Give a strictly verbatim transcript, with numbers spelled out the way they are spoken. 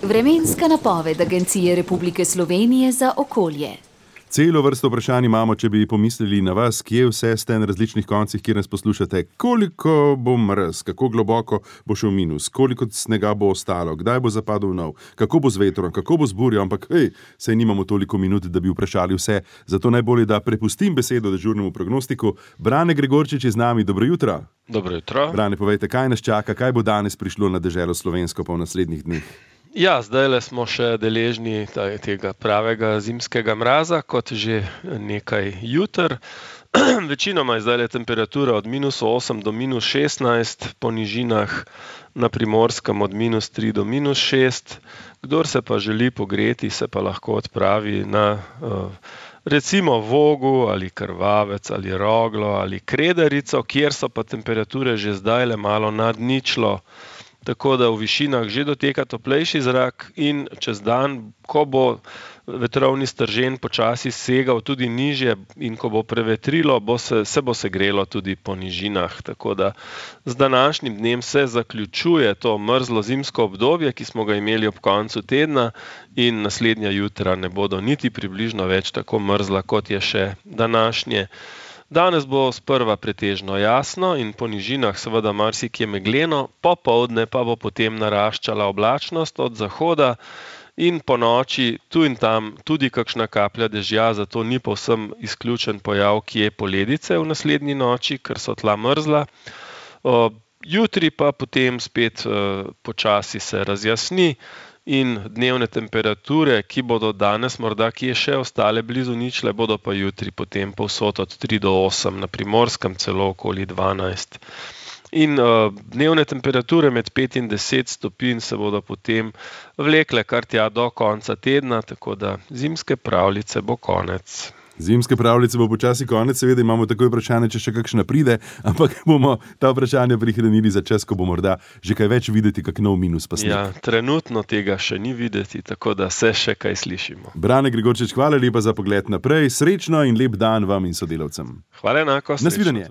Vremenska napoved Agencije Republike Slovenije za okolje. Celo vrsto vprašanj imamo, če bi pomislili na vas, kje vse ste na različnih koncih, kjer nas poslušate. Koliko bo mraz, kako globoko bo šel minus, koliko snega bo ostalo, kdaj bo zapadel nov, kako bo z vetrom, kako bo z burjo, ampak hej, saj nimamo toliko minut, da bi vprašali vse. Zato najbolje, da prepustim besedo dežurnemu prognostiku. Brane Gregorčič je z nami, dobro jutro. Dobro jutro. Brane, povejte, kaj nas čaka, kaj bo danes prišlo na deželo slovensko pa v naslednjih dneh? Ja, zdajle smo še deležni tega pravega zimskega mraza, kot že nekaj juter. Večinoma je zdajle temperatura od minus osem do minus šestnajst, po nižinah na Primorskem od minus tri do minus šest. Kdor se pa želi pogreti, se pa lahko odpravi na recimo Vogu ali Krvavec ali Roglo ali Kredarico, kjer so pa temperature že zdajle malo nad ničlo. Tako da v višinah že doteka toplejši zrak in čez dan, ko bo vetrovni stržen počasi segal tudi nižje in ko bo prevetrilo, bo se, se bo segrelo tudi po nižinah. Tako da z današnjim dnem se zaključuje to mrzlo zimsko obdobje, ki smo ga imeli ob koncu tedna in naslednja jutra ne bodo niti približno več tako mrzla, kot je še današnje. Danes bo sprva pretežno jasno in po nižinah seveda marsikje megleno, popoldne pa bo potem naraščala oblačnost od zahoda in po noči tu in tam tudi kakšna kaplja dežja, zato ni povsem izključen pojav kje poledice v naslednji noči, ker so tla mrzla. Jutri pa potem spet počasi se razjasni in dnevne temperature, ki bodo danes morda kje še ostale blizu ničle, bodo pa jutri potem povsod od tri do osem, na Primorskem celo okoli dvanajst. In uh, dnevne temperature med pet in deset stopinj se bodo potem vlekle kar tja do konca tedna, tako da zimske pravljice bo konec. Zimske pravljice bo počasi konec, seveda imamo takoj vprašanje, če še kakšna pride, ampak bomo ta vprašanja prihranili za čas, ko bo morda že kaj več videti, kak nov minus pa sneg. Ja, trenutno tega še ni videti, tako da se še kaj slišimo. Brane Gregorčič, hvala lepa za pogled naprej, srečno in lep dan vam in sodelavcem. Hvala enako, srečno. Nasvidenje.